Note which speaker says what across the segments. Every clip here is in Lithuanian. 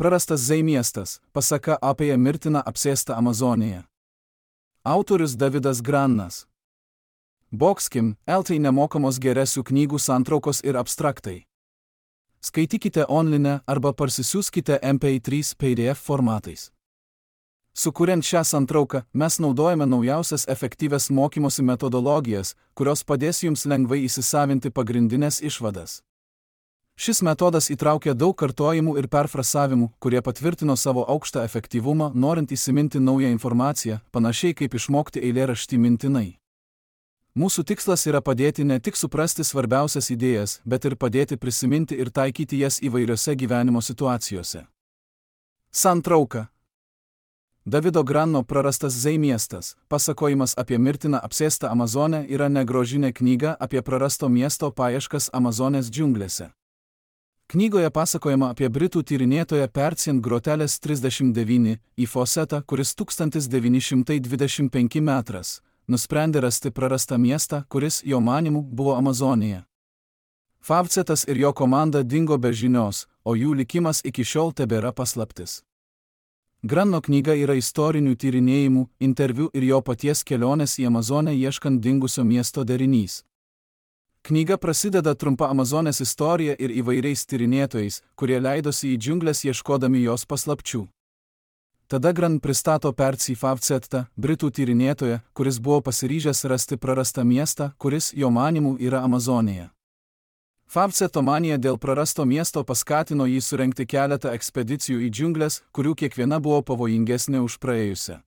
Speaker 1: Prarastas Zei miestas, pasaka apie mirtiną apsėstą Amazoniją. Autorius Davidas Grannas. Boxkim, LT nemokamos geresių knygų santraukos ir abstraktai. Skaitykite online arba parsisiųskite MP3 PDF formatais. Sukuriant šią santrauką, mes naudojame naujausias efektyvias mokymosi metodologijas, kurios padės jums lengvai įsisavinti pagrindinės išvadas. Šis metodas įtraukia daug kartojimų ir perfrasavimų, kurie patvirtino savo aukštą efektyvumą, norint įsiminti naują informaciją, panašiai kaip išmokti eilėraštį mintinai. Mūsų tikslas yra padėti ne tik suprasti svarbiausias idėjas, bet ir padėti prisiminti ir taikyti jas įvairiose gyvenimo situacijose. Santrauka. Davido Granno Prarastas Zei miestas, pasakojimas apie mirtiną apsėstą Amazonę yra negrožinė knyga apie prarasto miesto paieškas Amazonės džiunglėse. Knygoje pasakojama apie britų tyrinėtoją Percien Groteles 39 į Fawcettą, kuris 1925 metras nusprendė rasti prarastą miestą, kuris, jo manymu, buvo Amazonija. Fawcettas ir jo komanda dingo be žinios, o jų likimas iki šiol tebėra paslaptis. Granno knyga yra istorinių tyrinėjimų, interviu ir jo paties kelionės į Amazonę ieškant dingusio miesto derinys. Knyga prasideda trumpa Amazonės istorija ir įvairiais tyrinėtojais, kurie leidosi į džiunglės ieškodami jos paslapčių. Tada Gran pristato Percy Fawcettą, britų tyrinėtoją, kuris buvo pasiryžęs rasti prarastą miestą, kuris, jo manymu, yra Amazonija. Fawcetto manija dėl prarasto miesto paskatino jį surengti keletą ekspedicijų į džiunglės, kurių kiekviena buvo pavojingesnė už praėjusią.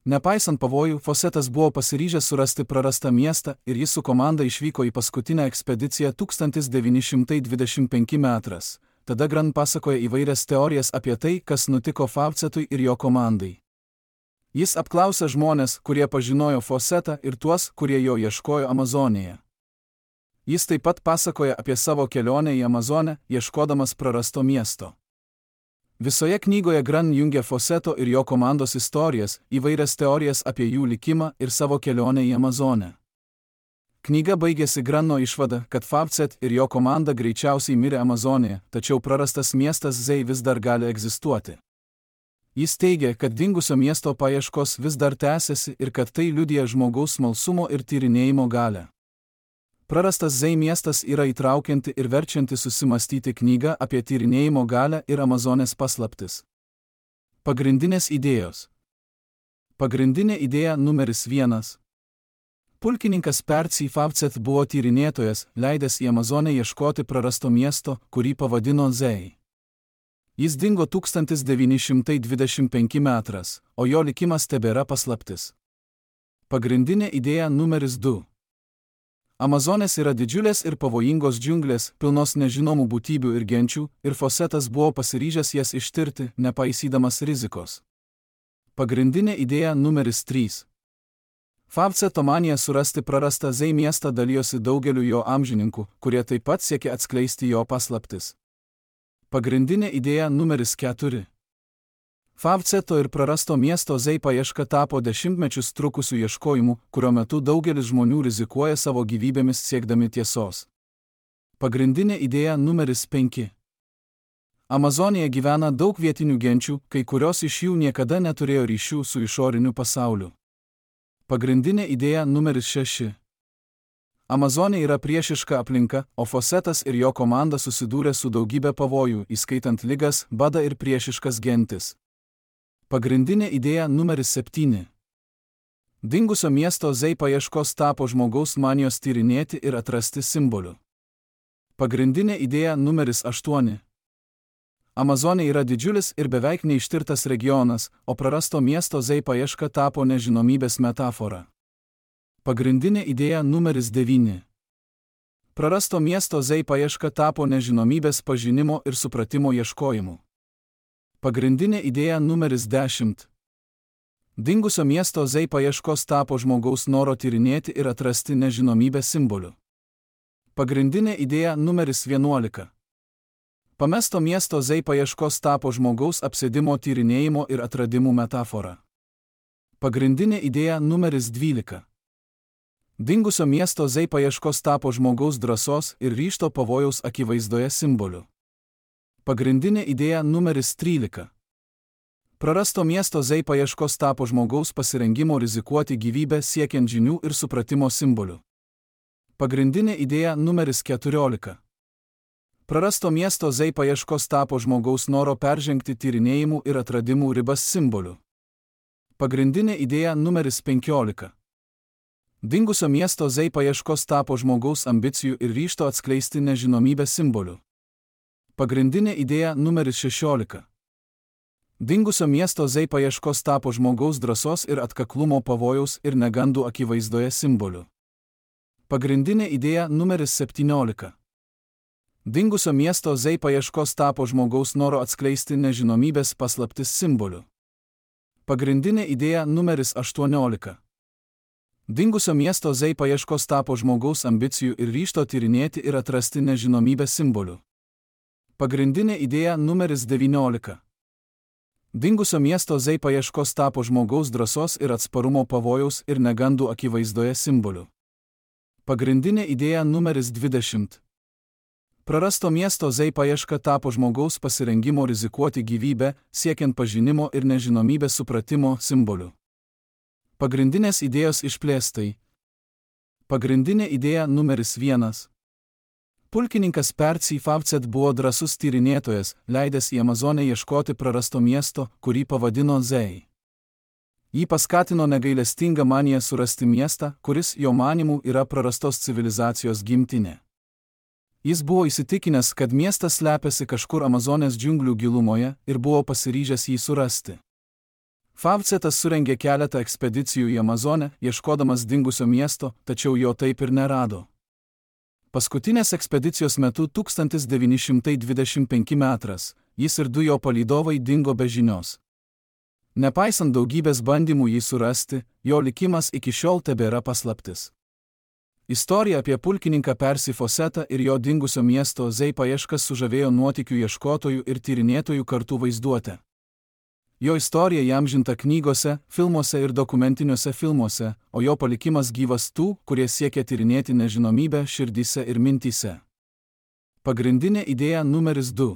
Speaker 1: Nepaisant pavojų, Fawcettas buvo pasiryžęs surasti prarastą miestą ir jis su komanda išvyko į paskutinę ekspediciją 1925 metras. Tada Gran pasakoja įvairias teorijas apie tai, kas nutiko Fawcettui ir jo komandai. Jis apklausė žmones, kurie pažinojo Fawcettą ir tuos, kurie jo ieškojo Amazonėje. Jis taip pat pasakoja apie savo kelionę į Amazonę, ieškodamas prarasto miesto. Visoje knygoje Gran jungia Fawcetto ir jo komandos istorijas, įvairias teorijas apie jų likimą ir savo kelionę į Amazonę. Knyga baigėsi Granno išvada, kad Fawcett ir jo komanda greičiausiai mirė Amazonėje, tačiau prarastas miestas Zei vis dar gali egzistuoti. Jis teigia, kad dingusio miesto paieškos vis dar tęsiasi ir kad tai liudija žmogaus smalsumo ir tyrinėjimo galią. Prarastas Zei miestas yra įtraukianti ir verčianti susimastyti knyga apie tyrinėjimo galią ir Amazonės paslaptis. Pagrindinės idėjos. Pagrindinė idėja numeris 1. Pulkininkas Percy Fawcett buvo tyrinėtojas, leidęs į Amazonę ieškoti prarasto miesto, kurį pavadino Zei. Jis dingo 1925 metras, o jo likimas tebėra paslaptis. Pagrindinė idėja numeris 2. Amazonės yra didžiulės ir pavojingos džiunglės, pilnos nežinomų būtybių ir genčių, ir Fawcettas buvo pasiryžęs jas ištirti, nepaisydamas rizikos. Pagrindinė idėja numeris 3. Fawcetto manija surasti prarastą Zei miestą dalijosi daugeliu jo amžininkų, kurie taip pat siekė atskleisti jo paslaptis. Pagrindinė idėja numeris 4. Fawcetto ir prarasto miesto Zei paieška tapo dešimtmečius trukusių ieškojimų, kurio metu daugelis žmonių rizikuoja savo gyvybėmis siekdami tiesos. Pagrindinė idėja numeris 5. Amazonėje gyvena daug vietinių genčių, kai kurios iš jų niekada neturėjo ryšių su išoriniu pasauliu. Pagrindinė idėja numeris 6. Amazonė yra priešiška aplinka, o Fawcettas ir jo komanda susidūrė su daugybė pavojų, įskaitant ligas, badą ir priešiškas gentis. Pagrindinė idėja numeris 7. Dingusio miesto Zei paieškos tapo žmogaus manijos tyrinėti ir atrasti simbolių. Pagrindinė idėja numeris 8. Amazonė yra didžiulis ir beveik neištirtas regionas, o prarasto miesto Zei paieška tapo nežinomybės metafora. Pagrindinė idėja numeris 9. Prarasto miesto Zei paieška tapo nežinomybės pažinimo ir supratimo ieškojimu. Pagrindinė idėja numeris 10. Dingusio miesto Zei paieškos tapo žmogaus noro tyrinėti ir atrasti nežinomybės simbolių. Pagrindinė idėja numeris 11. Pamesto miesto Zei paieškos tapo žmogaus apsėdimo tyrinėjimo ir atradimų metafora. Pagrindinė idėja numeris 12. Dingusio miesto Zei paieškos tapo žmogaus drąsos ir ryžto pavojaus akivaizdoje simboliu. Pagrindinė idėja numeris 13. Prarasto miesto Zei paieškos tapo žmogaus pasirengimo rizikuoti gyvybę siekiant žinių ir supratimo simboliu. Pagrindinė idėja numeris 14. Prarasto miesto Zei paieškos tapo žmogaus noro peržengti tyrinėjimų ir atradimų ribas simboliu. Pagrindinė idėja numeris 15. Dingusio miesto Zei paieškos tapo žmogaus ambicijų ir ryžto atskleisti nežinomybę simboliu. Pagrindinė idėja numeris 16. Dingusio miesto Zei paieškos tapo žmogaus drąsos ir atkaklumo pavojaus ir negandų akivaizdoje simboliu. Pagrindinė idėja numeris 17. Dingusio miesto Zei paieškos tapo žmogaus noro atskleisti nežinomybės paslaptis simboliu. Pagrindinė idėja numeris 18. Dingusio miesto Zei paieškos tapo žmogaus ambicijų ir ryžto tyrinėti ir atrasti nežinomybę simboliu. Pagrindinė idėja numeris 19. Dingusio miesto Zei paieškos tapo žmogaus drąsos ir atsparumo pavojaus ir negandų akivaizdoje simboliu. Pagrindinė idėja numeris 20. Prarasto miesto Zei paieška tapo žmogaus pasirengimo rizikuoti gyvybę, siekiant pažinimo ir nežinomybės supratimo simboliu. Pagrindinės idėjos išplėstai. Pagrindinė idėja numeris 1. Pulkininkas Percy Favcet buvo drąsus tyrinėtojas, leidęs į Amazonę ieškoti prarasto miesto, kurį pavadino Zei. Jį paskatino negailestinga manija surasti miestą, kuris jo manimų yra prarastos civilizacijos gimtinė. Jis buvo įsitikinęs, kad miestas slepiasi kažkur Amazonės džiunglių gilumoje ir buvo pasiryžęs jį surasti. Favcetas surengė keletą ekspedicijų į Amazonę, ieškodamas dingusio miesto, tačiau jo taip ir nerado. Paskutinės ekspedicijos metu 1925 metras, jis ir du jo palydovai dingo be žinios. Nepaisant daugybės bandymų jį surasti, jo likimas iki šiol tebėra paslaptis. Istorija apie pulkininką Percy Fawcettą ir jo dingusio miesto Zei paieškas sužavėjo nuotykių ieškotojų ir tyrinėtojų kartu vaizduotę. Jo istorija įamžinta knygose, filmuose ir dokumentiniuose filmuose, o jo palikimas gyvas tų, kurie siekia tyrinėti nežinomybę širdyse ir mintyse. Pagrindinė idėja numeris 2.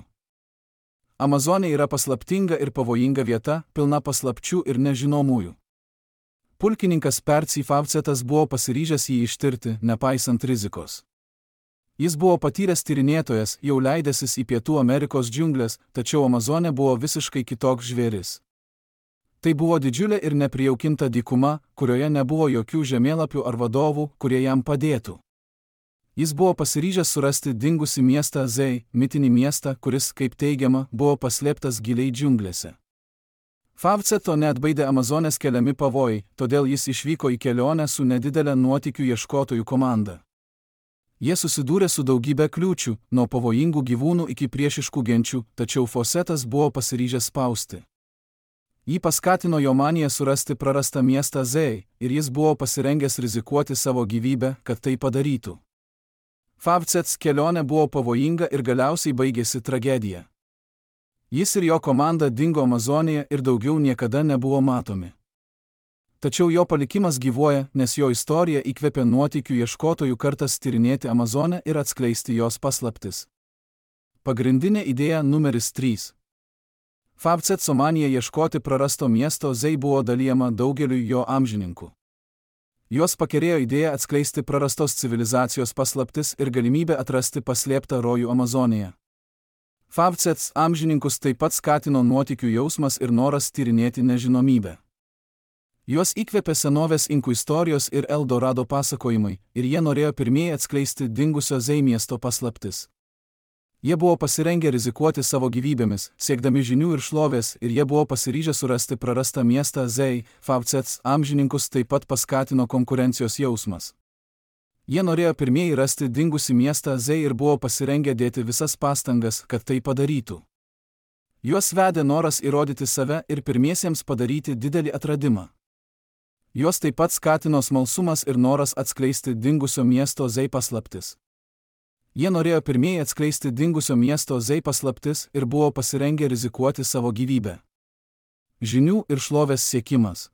Speaker 1: Amazonė yra paslaptinga ir pavojinga vieta, pilna paslapčių ir nežinomųjų. Pulkininkas Percy Favcetas buvo pasiryžęs jį ištirti, nepaisant rizikos. Jis buvo patyręs tyrinėtojas, jau leidęsis į Pietų Amerikos džiunglės, tačiau Amazonė buvo visiškai kitoks žvėris. Tai buvo didžiulė ir neprijaukinta dykuma, kurioje nebuvo jokių žemėlapių ar vadovų, kurie jam padėtų. Jis buvo pasiryžęs surasti dingusį miestą Zei, mitinį miestą, kuris, kaip teigiama, buvo paslėptas giliai džiunglėse. Favceto neatbaidė Amazonės keliami pavojai, todėl jis išvyko į kelionę su nedidelė nuotykių ieškotojų komanda. Jie susidūrė su daugybė kliūčių, nuo pavojingų gyvūnų iki priešiškų genčių, tačiau Fawcettas buvo pasiryžęs spausti. Jį paskatino jo manija surasti prarastą miestą Zei, ir jis buvo pasirengęs rizikuoti savo gyvybę, kad tai padarytų. Favcettas kelionė buvo pavojinga ir galiausiai baigėsi tragedija. Jis ir jo komanda dingo Amazonėje ir daugiau niekada nebuvo matomi. Tačiau jo palikimas gyvuoja, nes jo istorija įkvėpė nuotykių ieškotojų kartas tyrinėti Amazonę ir atskleisti jos paslaptis. Pagrindinė idėja numeris 3. Favcetto manija ieškoti prarasto miesto Zei buvo dalijama daugeliui jo amžininkų. Juos pakerėjo idėja atskleisti prarastos civilizacijos paslaptis ir galimybę atrasti paslėptą rojų Amazonėje. Favcettas amžininkus taip pat skatino nuotykių jausmas ir noras tyrinėti nežinomybę. Juos įkvėpė senovės inkų istorijos ir Eldorado pasakojimai, ir jie norėjo pirmieji atskleisti dingusio Zei miesto paslaptis. Jie buvo pasirengę rizikuoti savo gyvybėmis, siekdami žinių ir šlovės, ir jie buvo pasiryžę surasti prarastą miestą Zei. Favcettas amžininkus taip pat paskatino konkurencijos jausmas. Jie norėjo pirmieji rasti dingusį miestą Zei ir buvo pasirengę dėti visas pastangas, kad tai padarytų. Juos vedė noras įrodyti save ir pirmiesiems padaryti didelį atradimą. Juos taip pat skatino smalsumas ir noras atskleisti dingusio miesto Zei paslaptis. Jie norėjo pirmieji atskleisti dingusio miesto Zei paslaptis ir buvo pasirengę rizikuoti savo gyvybę. Žinių ir šlovės siekimas.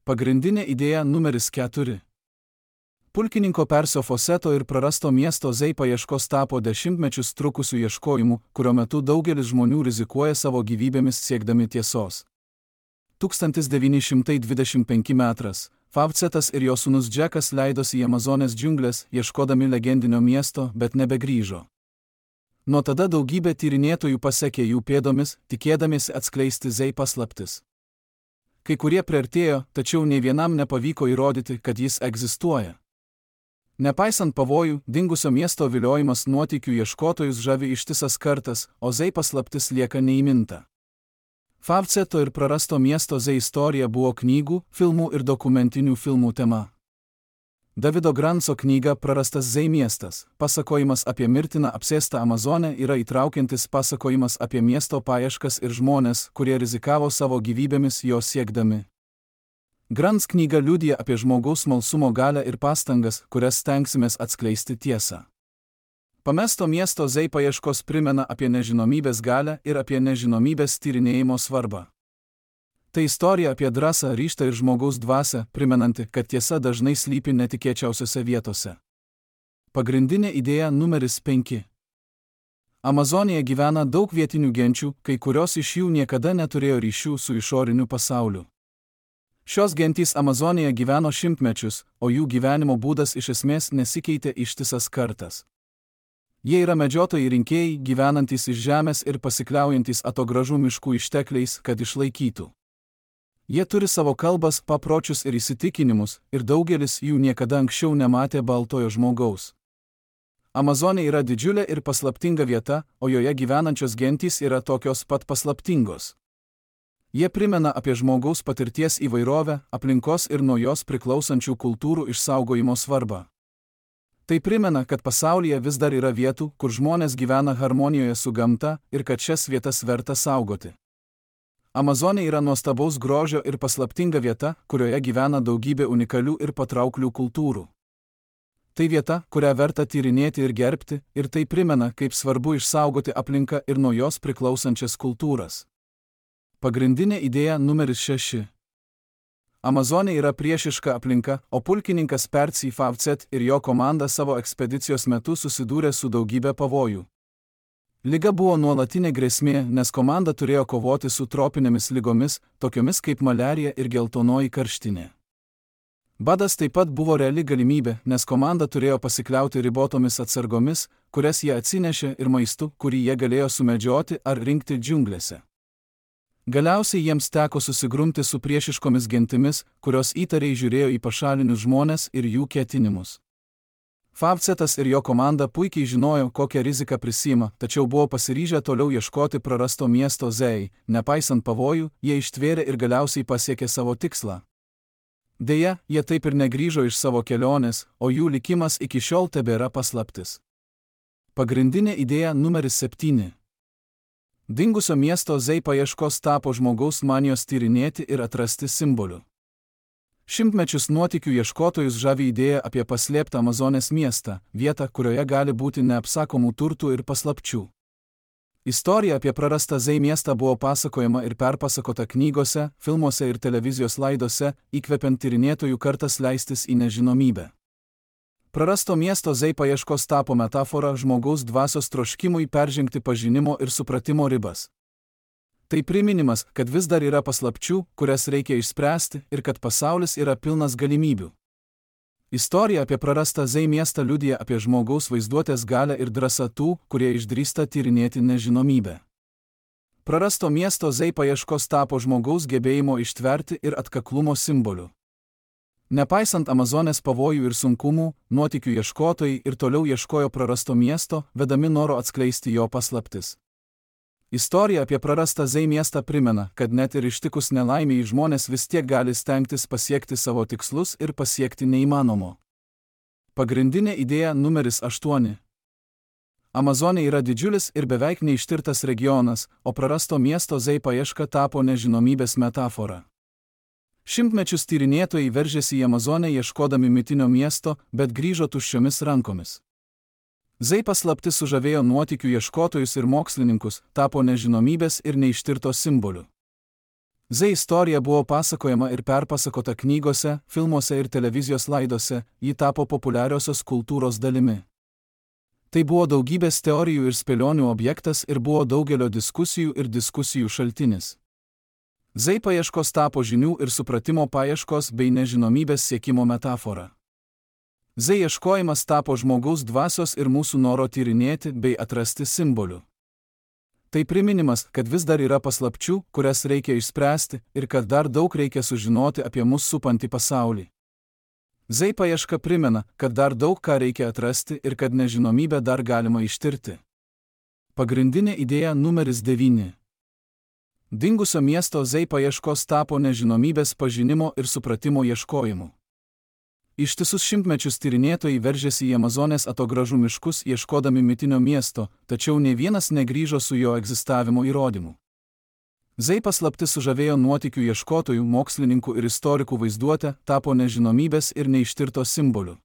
Speaker 1: Pagrindinė idėja numeris 4. Pulkininko Persio Foseto ir prarasto miesto Zei paieškos tapo dešimtmečius trukusių ieškojimų, kurio metu daugelis žmonių rizikuoja savo gyvybėmis siekdami tiesos. 1925 metras. Favcetas ir jo sūnus Džekas leidosi į Amazonės džiunglės, ieškodami legendinio miesto, bet nebegrįžo. Nuo tada daugybė tyrinėtojų pasekė jų pėdomis, tikėdamiesi atskleisti Zei paslaptis. Kai kurie priartėjo, tačiau nei vienam nepavyko įrodyti, kad jis egzistuoja. Nepaisant pavojų, dingusio miesto viliojimas nuotykių ieškotojus žavi ištisas kartas, o Zei paslaptis lieka neįminta. Favceto ir prarasto miesto Zei istorija buvo knygų, filmų ir dokumentinių filmų tema. Davido Granco knyga Prarastas Zei miestas, pasakojimas apie mirtiną apsėstą Amazonę yra įtraukiantis pasakojimas apie miesto paieškas ir žmonės, kurie rizikavo savo gyvybėmis jo siekdami. Grants knyga liudija apie žmogaus smalsumo galią ir pastangas, kurias stengsimės atskleisti tiesą. Pamesto miesto Zei paieškos primena apie nežinomybės galią ir apie nežinomybės tyrinėjimo svarbą. Tai istorija apie drąsą, ryžtą ir žmogaus dvasią, primenanti, kad tiesa dažnai slypi netikėčiausiose vietose. Pagrindinė idėja numeris 5. Amazonėje gyvena daug vietinių genčių, kai kurios iš jų niekada neturėjo ryšių su išoriniu pasauliu. Šios gentys Amazonėje gyveno šimtmečius, o jų gyvenimo būdas iš esmės nesikeitė ištisas kartas. Jie yra medžiotojai rinkėjai, gyvenantys iš žemės ir pasikliaujantys atogražų miškų ištekliais, kad išlaikytų. Jie turi savo kalbas, papročius ir įsitikinimus, ir daugelis jų niekada anksčiau nematė baltojo žmogaus. Amazonė yra didžiulė ir paslaptinga vieta, o joje gyvenančios gentys yra tokios pat paslaptingos. Jie primena apie žmogaus patirties įvairovę, aplinkos ir nuo jos priklausančių kultūrų išsaugojimo svarbą. Tai primena, kad pasaulyje vis dar yra vietų, kur žmonės gyvena harmonijoje su gamta ir kad šias vietas verta saugoti. Amazonė yra nuostabaus grožio ir paslaptinga vieta, kurioje gyvena daugybė unikalių ir patrauklių kultūrų. Tai vieta, kurią verta tyrinėti ir gerbti, ir tai primena, kaip svarbu išsaugoti aplinką ir nuo jos priklausančias kultūras. Pagrindinė idėja numeris 6. Amazonė yra priešiška aplinka, o pulkininkas Persio Favcet ir jo komanda savo ekspedicijos metu susidūrė su daugybė pavojų. Liga buvo nuolatinė grėsmė, nes komanda turėjo kovoti su tropinėmis ligomis, tokiomis kaip maliarija ir geltonoji karštinė. Badas taip pat buvo reali galimybė, nes komanda turėjo pasikliauti ribotomis atsargomis, kurias jie atsinešė, ir maistu, kurį jie galėjo sumedžioti ar rinkti džiunglėse. Galiausiai jiems teko susigrumti su priešiškomis gentimis, kurios įtariai žiūrėjo į pašalinius žmones ir jų ketinimus. Favcetas ir jo komanda puikiai žinojo, kokią riziką prisima, tačiau buvo pasiryžę toliau ieškoti prarasto miesto Zei. Nepaisant pavojų, jie ištvėrė ir galiausiai pasiekė savo tikslą. Deja, jie taip ir negrįžo iš savo kelionės, o jų likimas iki šiol tebėra paslaptis. Pagrindinė idėja numeris 7. Dingusio miesto Zei paieškos tapo žmogaus manijos tyrinėti ir atrasti simbolių. Šimtmečius nuotykių ieškotojus žavi idėja apie paslėptą Amazonės miestą, vietą, kurioje gali būti neapsakomų turtų ir paslapčių. Istorija apie prarastą Zei miestą buvo pasakojama ir perpasakota knygose, filmuose ir televizijos laidose, įkvepiant tyrinėtojų kartas leistis į nežinomybę. Prarasto miesto Zei paieškos tapo metafora žmogaus dvasios troškimui peržengti pažinimo ir supratimo ribas. Tai priminimas, kad vis dar yra paslapčių, kurias reikia išspręsti, ir kad pasaulis yra pilnas galimybių. Istorija apie prarastą Zei miestą liudija apie žmogaus vaizduotės galią ir drąsą tų, kurie išdrįsta tyrinėti nežinomybę. Prarasto miesto Zei paieškos tapo žmogaus gebėjimo ištverti ir atkaklumo simboliu. Nepaisant Amazonės pavojų ir sunkumų, nuotykių ieškotojai ir toliau ieškojo prarasto miesto, vedami noro atskleisti jo paslaptis. Istorija apie prarastą Zei miestą primena, kad net ir ištikus nelaimei žmonės vis tiek gali stengtis pasiekti savo tikslus ir pasiekti neįmanomo. Pagrindinė idėja numeris 8. Amazonė yra didžiulis ir beveik neištirtas regionas, o prarasto miesto Zei paieška tapo nežinomybės metafora. Šimtmečius tyrinėtojai veržėsi į Amazonę ieškodami mitinio miesto, bet grįžo tuščiomis rankomis. Zei paslaptis sužavėjo nuotykių ieškotojus ir mokslininkus, tapo nežinomybės ir neištirto simboliu. Z istorija buvo pasakojama ir perpasakota knygose, filmuose ir televizijos laidose, ji tapo populiariosios kultūros dalimi. Tai buvo daugybės teorijų ir spėlionių objektas ir buvo daugelio diskusijų ir diskusijų šaltinis. Z paieškos tapo žinių ir supratimo paieškos bei nežinomybės siekimo metafora. Z ieškojimas tapo žmogaus dvasios ir mūsų noro tyrinėti bei atrasti simbolių. Tai priminimas, kad vis dar yra paslapčių, kurias reikia išspręsti ir kad dar daug reikia sužinoti apie mus supantį pasaulį. Z paieška primena, kad dar daug ką reikia atrasti ir kad nežinomybę dar galima ištirti. Pagrindinė idėja numeris 9. Dingusio miesto Z paieškos tapo nežinomybės pažinimo ir supratimo ieškojimu. Ištisus šimtmečius tyrinėtojai veržėsi į Amazonės atogražų miškus ieškodami mitinio miesto, tačiau nė vienas negrįžo su jo egzistavimo įrodymu. Z paslaptis sužavėjo nuotykių ieškotojų, mokslininkų ir istorikų vaizduotę, tapo nežinomybės ir neištirto simboliu.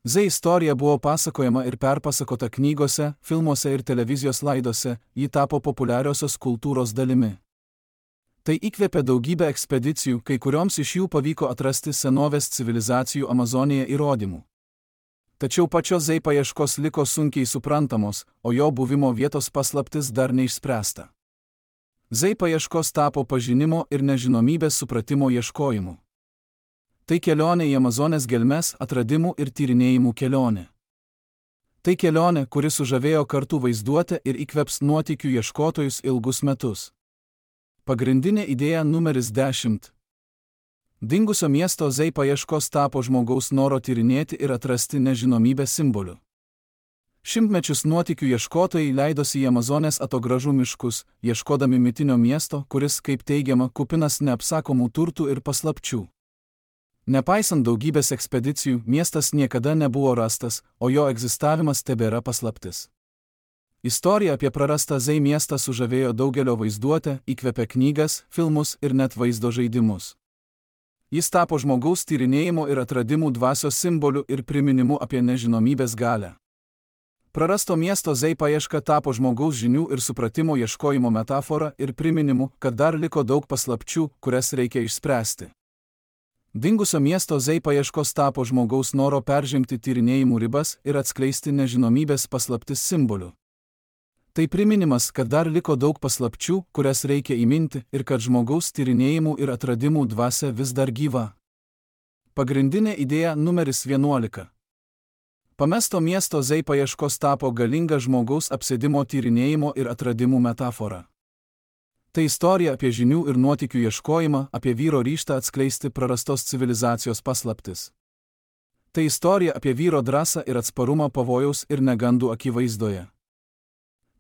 Speaker 1: Z istorija buvo pasakojama ir perpasakota knygose, filmuose ir televizijos laidose, ji tapo populiariosios kultūros dalimi. Tai įkvėpė daugybę ekspedicijų, kai kurioms iš jų pavyko atrasti senovės civilizacijų Amazonėje įrodymų. Tačiau pačios Z paieškos liko sunkiai suprantamos, o jo buvimo vietos paslaptis dar neišspręsta. Z paieškos tapo pažinimo ir nežinomybės supratimo ieškojimu. Tai kelionė į Amazonės gelmes, atradimų ir tyrinėjimų kelionė. Tai kelionė, kuri sužavėjo kartų vaizduotę ir įkvėps nuotykių ieškotojus ilgus metus. Pagrindinė idėja numeris 10. Dingusio miesto Z paieškos tapo žmogaus noro tyrinėti ir atrasti nežinomybę simbolių. Šimtmečius nuotykių ieškotojai leidosi į Amazonės atogražų miškus, ieškodami mitinio miesto, kuris, kaip teigiama, kupinas neapsakomų turtų ir paslapčių. Nepaisant daugybės ekspedicijų, miestas niekada nebuvo rastas, o jo egzistavimas tebėra paslaptis. Istorija apie prarastą Z miestą sužavėjo daugelio vaizduotę, įkvėpė knygas, filmus ir net vaizdo žaidimus. Jis tapo žmogaus tyrinėjimo ir atradimų dvasios simboliu ir priminimu apie nežinomybės galią. Prarasto miesto Z paieška tapo žmogaus žinių ir supratimo ieškojimo metafora ir priminimu, kad dar liko daug paslapčių, kurias reikia išspręsti. Dingusio miesto Z paieškos tapo žmogaus noro peržengti tyrinėjimų ribas ir atskleisti nežinomybės paslaptis simboliu. Tai priminimas, kad dar liko daug paslapčių, kurias reikia įminti ir kad žmogaus tyrinėjimų ir atradimų dvasia vis dar gyva. Pagrindinė idėja numeris 11. Pamesto miesto Z paieškos tapo galinga žmogaus apsėdimo tyrinėjimo ir atradimų metafora. Tai istorija apie žinių ir nuotykių ieškojimą, apie vyro ryžtą atskleisti prarastos civilizacijos paslaptis. Tai istorija apie vyro drąsą ir atsparumą pavojaus ir negandų akivaizdoje.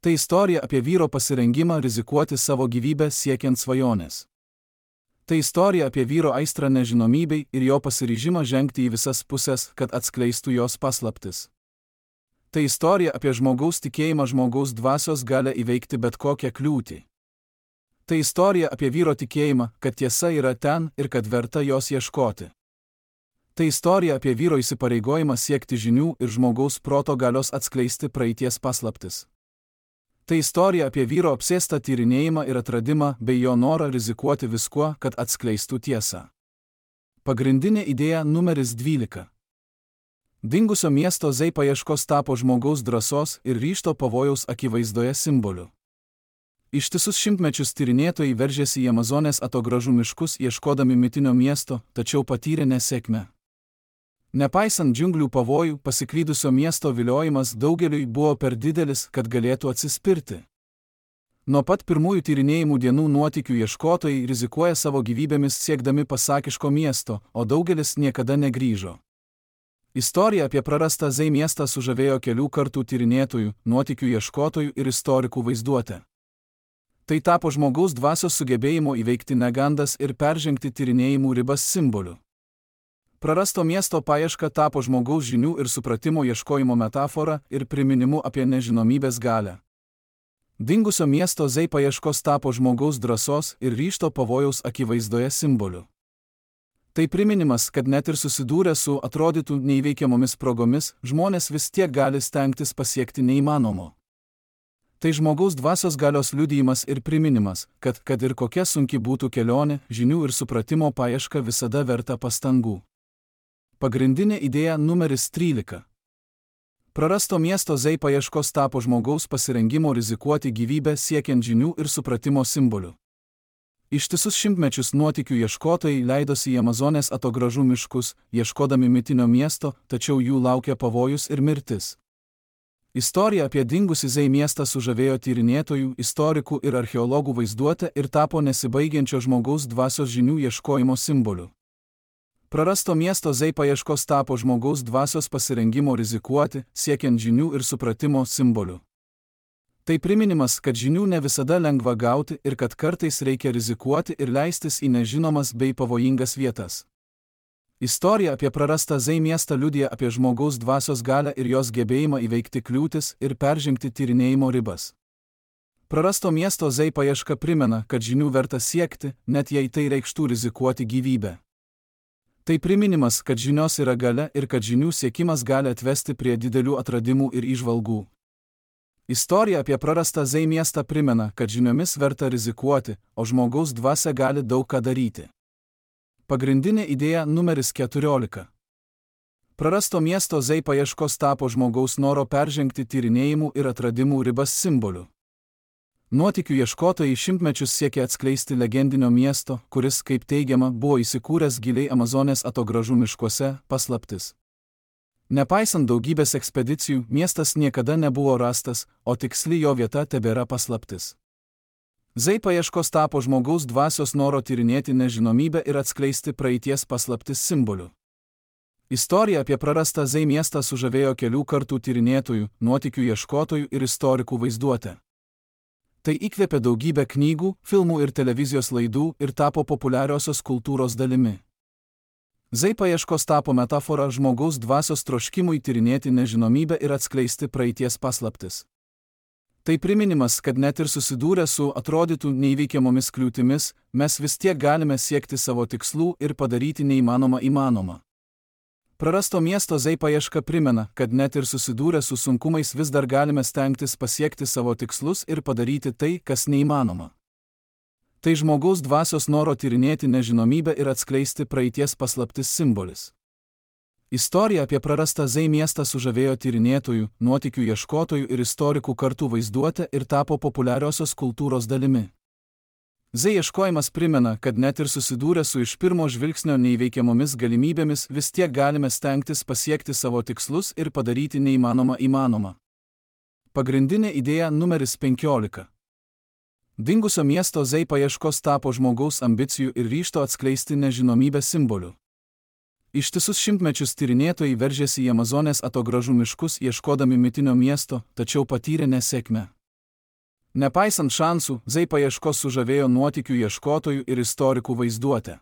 Speaker 1: Tai istorija apie vyro pasirengimą rizikuoti savo gyvybę siekiant svajonės. Tai istorija apie vyro aistrą nežinomybei ir jo pasiryžimą žengti į visas pusės, kad atskleistų jos paslaptis. Tai istorija apie žmogaus tikėjimą žmogaus dvasios galią įveikti bet kokią kliūtį. Tai istorija apie vyro tikėjimą, kad tiesa yra ten ir kad verta jos ieškoti. Tai istorija apie vyro įsipareigojimą siekti žinių ir žmogaus proto galios atskleisti praeities paslaptis. Tai istorija apie vyro apsėstą tyrinėjimą ir atradimą bei jo norą rizikuoti viskuo, kad atskleistų tiesą. Pagrindinė idėja numeris 12. Dingusio miesto Z paieškos tapo žmogaus drąsos ir ryžto pavojaus akivaizdoje simboliu. Ištisus šimtmečius tyrinėtojai veržėsi į Amazonės atogražų miškus ieškodami mitinio miesto, tačiau patyrė nesėkmę. Nepaisant džiunglių pavojų, pasiklydusio miesto viliojimas daugeliui buvo per didelis, kad galėtų atsispirti. Nuo pat pirmųjų tyrinėjimų dienų nuotykių ieškotojai rizikuoja savo gyvybėmis siekdami pasakiško miesto, o daugelis niekada negrįžo. Istorija apie prarastą Z miestą sužavėjo kelių kartų tyrinėtojų, nuotykių ieškotojų ir istorikų vaizduotę. Tai tapo žmogaus dvasios sugebėjimo įveikti negandas ir peržengti tyrinėjimų ribas simboliu. Prarasto miesto paieška tapo žmogaus žinių ir supratimo ieškojimo metafora ir priminimu apie nežinomybės galią. Dingusio miesto Z paieškos tapo žmogaus drąsos ir ryžto pavojaus akivaizdoje simboliu. Tai priminimas, kad net ir susidūrę su atrodytų neįveikiamomis progomis, žmonės vis tiek gali stengtis pasiekti neįmanomo. Tai žmogaus dvasios galios liudijimas ir priminimas, kad ir kokia sunki būtų kelionė, žinių ir supratimo paieška visada verta pastangų. Pagrindinė idėja numeris 13. Prarasto miesto Zei paieškos tapo žmogaus pasirengimo rizikuoti gyvybę siekiant žinių ir supratimo simboliu. Ištisus šimtmečius nuotykių ieškotojai leidosi į Amazonės atogražų miškus, ieškodami mitinio miesto, tačiau jų laukia pavojus ir mirtis. Istorija apie dingusį Zei miestą sužavėjo tyrinėtojų, istorikų ir archeologų vaizduotę ir tapo nesibaigiančio žmogaus dvasios žinių ieškojimo simboliu. Prarasto miesto Zei paieškos tapo žmogaus dvasios pasirengimo rizikuoti, siekiant žinių ir supratimo simboliu. Tai priminimas, kad žinių ne visada lengva gauti ir kad kartais reikia rizikuoti ir leistis į nežinomas bei pavojingas vietas. Istorija apie prarastą Zei miestą liudija apie žmogaus dvasios galią ir jos gebėjimą įveikti kliūtis ir peržengti tyrinėjimo ribas. Prarasto miesto Zei paieška primena, kad žinių verta siekti, net jei tai reikštų rizikuoti gyvybę. Tai priminimas, kad žinios yra galia ir kad žinių siekimas gali atvesti prie didelių atradimų ir įžvalgų. Istorija apie prarastą Zei miestą primena, kad žiniomis verta rizikuoti, o žmogaus dvasia gali daug ką daryti. Pagrindinė idėja numeris 14. Prarasto miesto Zei paieškos tapo žmogaus noro peržengti tyrinėjimų ir atradimų ribas simboliu. Nuotykių ieškotojai šimtmečius siekė atskleisti legendinio miesto, kuris, kaip teigiama, buvo įsikūręs giliai Amazonės atogražų miškuose, paslaptis. Nepaisant daugybės ekspedicijų, miestas niekada nebuvo rastas, o tiksli jo vieta tebėra paslaptis. Zei paieškos tapo žmogaus dvasios noro tyrinėti nežinomybę ir atskleisti praeities paslaptis simboliu. Istorija apie prarastą Zei miestą sužavėjo kelių kartų tyrinėtojų, nuotykių ieškotojų ir istorikų vaizduotę. Tai įkvėpė daugybę knygų, filmų ir televizijos laidų ir tapo populiariosios kultūros dalimi. Zei paieškos tapo metafora žmogaus dvasios troškimui tyrinėti nežinomybę ir atskleisti praeities paslaptis. Tai priminimas, kad net ir susidūrę su atrodytų neįveikiamomis kliūtimis, mes vis tiek galime siekti savo tikslų ir padaryti neįmanomą įmanomą. Prarasto miesto Zei paieška primena, kad net ir susidūrę su sunkumais vis dar galime stengtis pasiekti savo tikslus ir padaryti tai, kas neįmanoma. Tai žmogaus dvasios noro tyrinėti nežinomybę ir atskleisti praeities paslaptis simbolis. Istorija apie prarastą Zei miestą sužavėjo tyrinėtojų, nuotykių ieškotojų ir istorikų kartu vaizduotę ir tapo populiariosios kultūros dalimi. Zei ieškojimas primena, kad net ir susidūrę su iš pirmo žvilgsnio neįveikiamomis galimybėmis vis tiek galime stengtis pasiekti savo tikslus ir padaryti neįmanomą įmanomą. Pagrindinė idėja numeris 15. Dingusio miesto Zei paieškos tapo žmogaus ambicijų ir ryžto atskleisti nežinomybę simboliu. Ištisus šimtmečius tyrinėtojai veržėsi į Amazonės atogražų miškus ieškodami mitinio miesto, tačiau patyrė nesėkmę. Nepaisant šansų, Zei paieškos sužavėjo nuotykių ieškotojų ir istorikų vaizduotę.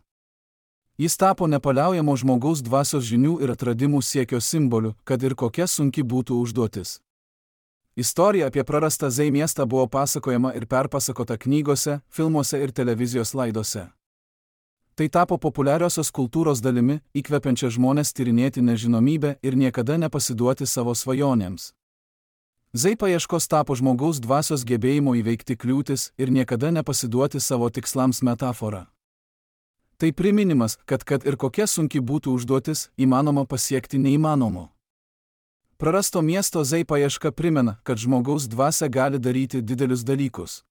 Speaker 1: Jis tapo nepaliaujamo žmogaus dvasios žinių ir atradimų siekio simboliu, kad ir kokia sunki būtų užduotis. Istorija apie prarastą Zei miestą buvo pasakojama ir perpasakota knygose, filmuose ir televizijos laidose. Tai tapo populiariosios kultūros dalimi, įkvepiančia žmonės tyrinėti nežinomybę ir niekada nepasiduoti savo svajonėms. Zei paieškos tapo žmogaus dvasios gebėjimo įveikti kliūtis ir niekada nepasiduoti savo tikslams metafora. Tai priminimas, kad ir kokia sunki būtų užduotis, įmanoma pasiekti neįmanomo. Prarasto miesto Zei paieška primena, kad žmogaus dvasia gali daryti didelius dalykus.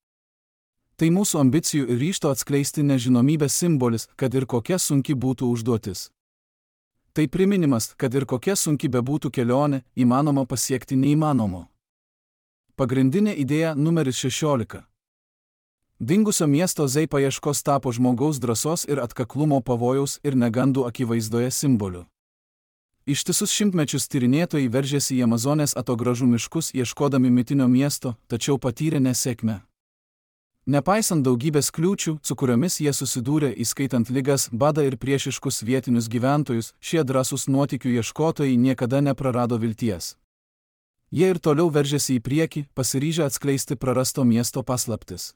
Speaker 1: Tai mūsų ambicijų ir ryžto atskleisti nežinomybę simbolis, kad ir kokia sunki būtų užduotis. Tai priminimas, kad ir kokia sunki bebūtų kelionė, įmanoma pasiekti neįmanomo. Pagrindinė idėja numeris 16. Dingusio miesto Zei paieškos tapo žmogaus drąsos ir atkaklumo pavojaus ir negandų akivaizdoje simboliu. Ištisus šimtmečius tyrinėtojai veržėsi į Amazonės atogražų miškus ieškodami mitinio miesto, tačiau patyrė nesėkmę. Nepaisant daugybės kliūčių, su kuriomis jie susidūrė, įskaitant ligas, badą ir priešiškus vietinius gyventojus, šie drąsūs nuotykių ieškotojai niekada neprarado vilties. Jie ir toliau veržėsi į priekį, pasiryžę atskleisti prarasto miesto paslaptis.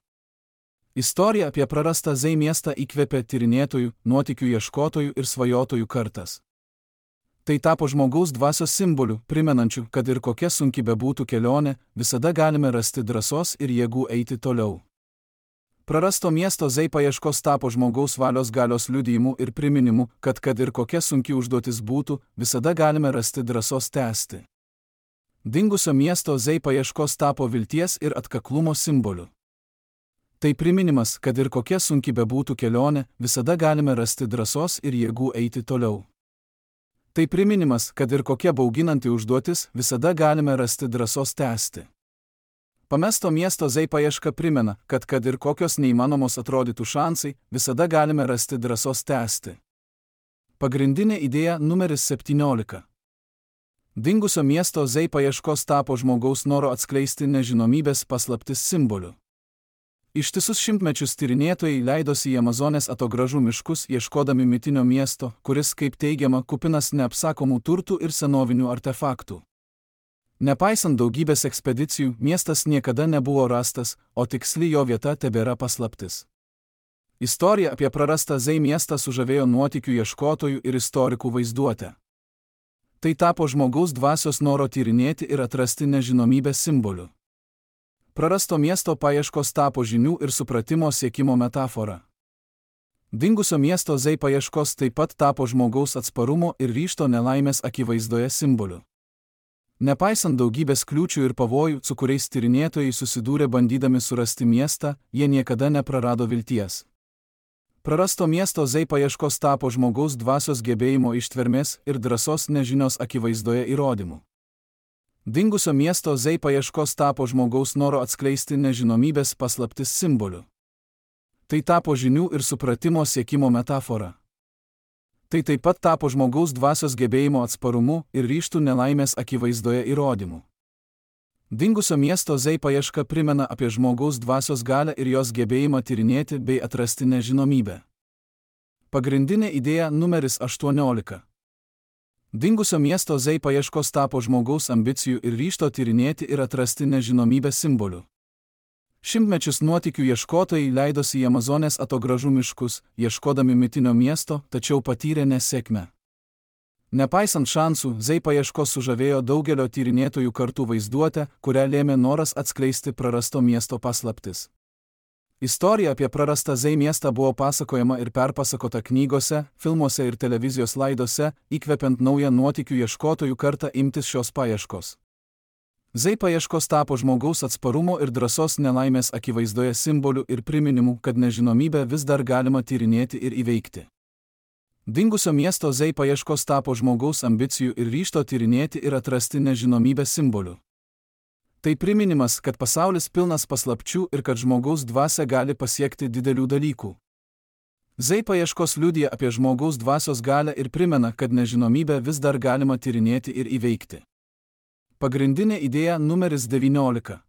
Speaker 1: Istorija apie prarastą Zei miestą įkvėpė tyrinėtojų, nuotykių ieškotojų ir svajotojų kartas. Tai tapo žmogaus dvasios simboliu, primenančiu, kad ir kokia sunki bebūtų kelionė, visada galime rasti drąsos ir jėgų eiti toliau. Prarasto miesto Zei paieškos tapo žmogaus valios galios liudijimu ir priminimu, kad ir kokia sunki užduotis būtų, visada galime rasti drąsos tęsti. Dingusio miesto Zei paieškos tapo vilties ir atkaklumo simboliu. Tai priminimas, kad ir kokia sunki bebūtų kelionė, visada galime rasti drąsos ir jėgų eiti toliau. Tai priminimas, kad ir kokia bauginanti užduotis, visada galime rasti drąsos tęsti. Pamesto miesto Zei paieška primena, kad ir kokios neįmanomos atrodytų šansai, visada galime rasti drąsos tęsti. Pagrindinė idėja numeris 17. Dingusio miesto Zei paieškos tapo žmogaus noro atskleisti nežinomybės paslaptis simboliu. Ištisus šimtmečius tyrinėtojai leidosi į Amazonės atogražų miškus ieškodami mitinio miesto, kuris, kaip teigiama, kupinas neapsakomų turtų ir senovinių artefaktų. Nepaisant daugybės ekspedicijų, miestas niekada nebuvo rastas, o tiksli jo vieta tebėra paslaptis. Istorija apie prarastą Zei miestą sužavėjo nuotykių ieškotojų ir istorikų vaizduotę. Tai tapo žmogaus dvasios noro tyrinėti ir atrasti nežinomybės simboliu. Prarasto miesto paieškos tapo žinių ir supratimo siekimo metafora. Dingusio miesto Zei paieškos taip pat tapo žmogaus atsparumo ir ryžto nelaimės akivaizdoje simboliu. Nepaisant daugybės kliūčių ir pavojų, su kuriais tyrinėtojai susidūrė bandydami surasti miestą, jie niekada neprarado vilties. Prarasto miesto Zei paieškos tapo žmogaus dvasios gebėjimo ištvermės ir drąsos nežinios akivaizdoje įrodymu. Dingusio miesto Zei paieškos tapo žmogaus noro atskleisti nežinomybės paslaptis simboliu. Tai tapo žinių ir supratimo siekimo metafora. Tai taip pat tapo žmogaus dvasios gebėjimo atsparumu ir ryžtų nelaimės akivaizdoje įrodymu. Dingusio miesto Zei paieška primena apie žmogaus dvasios galią ir jos gebėjimą tyrinėti bei atrasti nežinomybę. Pagrindinė idėja numeris 18. Dingusio miesto Zei paieškos tapo žmogaus ambicijų ir ryžto tyrinėti ir atrasti nežinomybę simboliu. Šimtmečius nuotykių ieškotojai leidosi į Amazonės atogražų miškus, ieškodami mitinio miesto, tačiau patyrė nesėkmę. Nepaisant šansų, Zei paieškos sužavėjo daugelio tyrinėtojų kartų vaizduotę, kurią lėmė noras atskleisti prarasto miesto paslaptis. Istorija apie prarastą Zei miestą buvo pasakojama ir perpasakota knygose, filmuose ir televizijos laidose, įkvepiant naują nuotykių ieškotojų kartą imtis šios paieškos. Zei paieškos tapo žmogaus atsparumo ir drąsos nelaimės akivaizdoje simboliu ir priminimu, kad nežinomybę vis dar galima tyrinėti ir įveikti. Dingusio miesto Zei paieškos tapo žmogaus ambicijų ir ryžto tyrinėti ir atrasti nežinomybę simboliu. Tai priminimas, kad pasaulis pilnas paslapčių ir kad žmogaus dvasia gali pasiekti didelių dalykų. Zei paieškos liudija apie žmogaus dvasios galią ir primena, kad nežinomybę vis dar galima tyrinėti ir įveikti. Pagrindinė idėja numeris 19.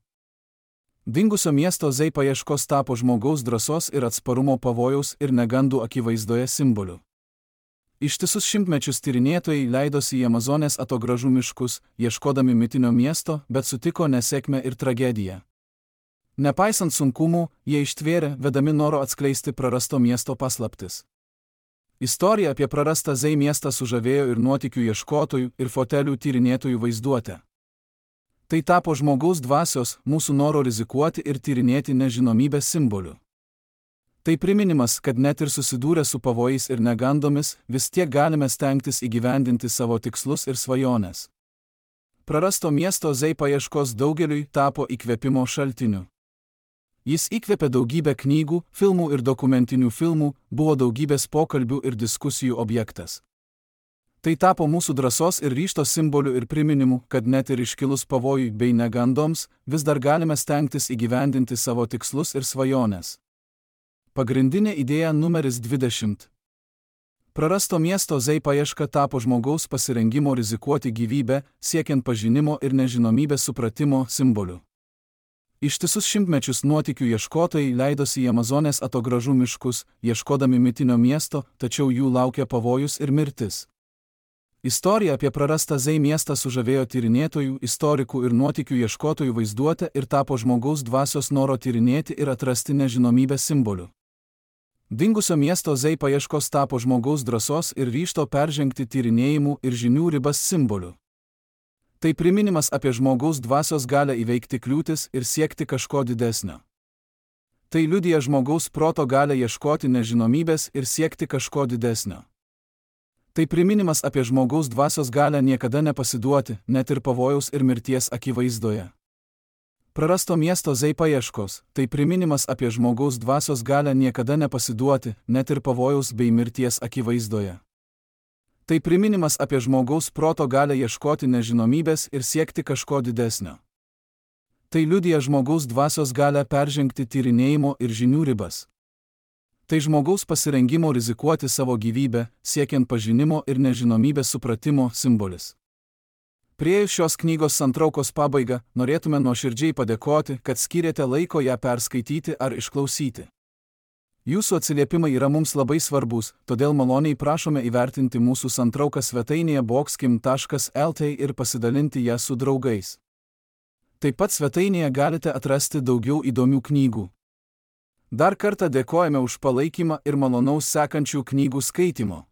Speaker 1: Dingusio miesto Zei paieškos tapo žmogaus drąsos ir atsparumo pavojaus ir negandų akivaizdoje simboliu. Ištisus šimtmečius tyrinėtojai leidosi į Amazonės atogražų miškus, ieškodami mitinio miesto, bet sutiko nesėkmę ir tragediją. Nepaisant sunkumų, jie ištvėrė, vedami noro atskleisti prarasto miesto paslaptis. Istorija apie prarastą Zei miestą sužavėjo ir nuotykių ieškotojų, ir fotelių tyrinėtojų vaizduotę. Tai tapo žmogaus dvasios, mūsų noro rizikuoti ir tyrinėti nežinomybę simboliu. Tai priminimas, kad net ir susidūrę su pavojais ir negandomis, vis tiek galime stengtis įgyvendinti savo tikslus ir svajones. Prarasto miesto Zei paieškos daugeliui tapo įkvėpimo šaltiniu. Jis įkvėpė daugybę knygų, filmų ir dokumentinių filmų, buvo daugybės pokalbių ir diskusijų objektas. Tai tapo mūsų drąsos ir ryžto simboliu ir priminimu, kad net ir iškilus pavojui bei negandoms, vis dar galime stengtis įgyvendinti savo tikslus ir svajones. Pagrindinė idėja numeris 20. Prarasto miesto Zei paieška tapo žmogaus pasirengimo rizikuoti gyvybę, siekiant pažinimo ir nežinomybės supratimo simboliu. Ištisus šimtmečius nuotykių ieškotojai leidosi į Amazonės atogražų miškus, ieškodami mitinio miesto, tačiau jų laukia pavojus ir mirtis. Istorija apie prarastą Zei miestą sužavėjo tyrinėtojų, istorikų ir nuotykių ieškotojų vaizduotę ir tapo žmogaus dvasios noro tyrinėti ir atrasti nežinomybę simboliu. Dingusio miesto Z paieškos tapo žmogaus drąsos ir ryžto peržengti tyrinėjimų ir žinių ribas simboliu. Tai priminimas apie žmogaus dvasios galią įveikti kliūtis ir siekti kažko didesnio. Tai liudija žmogaus proto galią ieškoti nežinomybės ir siekti kažko didesnio. Tai priminimas apie žmogaus dvasios galią niekada nepasiduoti, net ir pavojaus ir mirties akivaizdoje. Prarasto miesto Z paieškos, tai priminimas apie žmogaus dvasios galią niekada nepasiduoti, net ir pavojaus bei mirties akivaizdoje. Tai priminimas apie žmogaus proto galią ieškoti nežinomybės ir siekti kažko didesnio. Tai liudija žmogaus dvasios galią peržengti tyrinėjimo ir žinių ribas. Tai žmogaus pasirengimo rizikuoti savo gyvybę, siekiant pažinimo ir nežinomybės supratimo simbolis. Priėjus šios knygos santraukos pabaigą, norėtume nuoširdžiai padėkoti, kad skyrėte laiko ją perskaityti ar išklausyti. Jūsų atsiliepimai yra mums labai svarbus, todėl maloniai prašome įvertinti mūsų santrauką svetainėje boxkim.lt ir pasidalinti ją su draugais. Taip pat svetainėje galite atrasti daugiau įdomių knygų. Dar kartą dėkojame už palaikymą ir malonaus sekančių knygų skaitimo.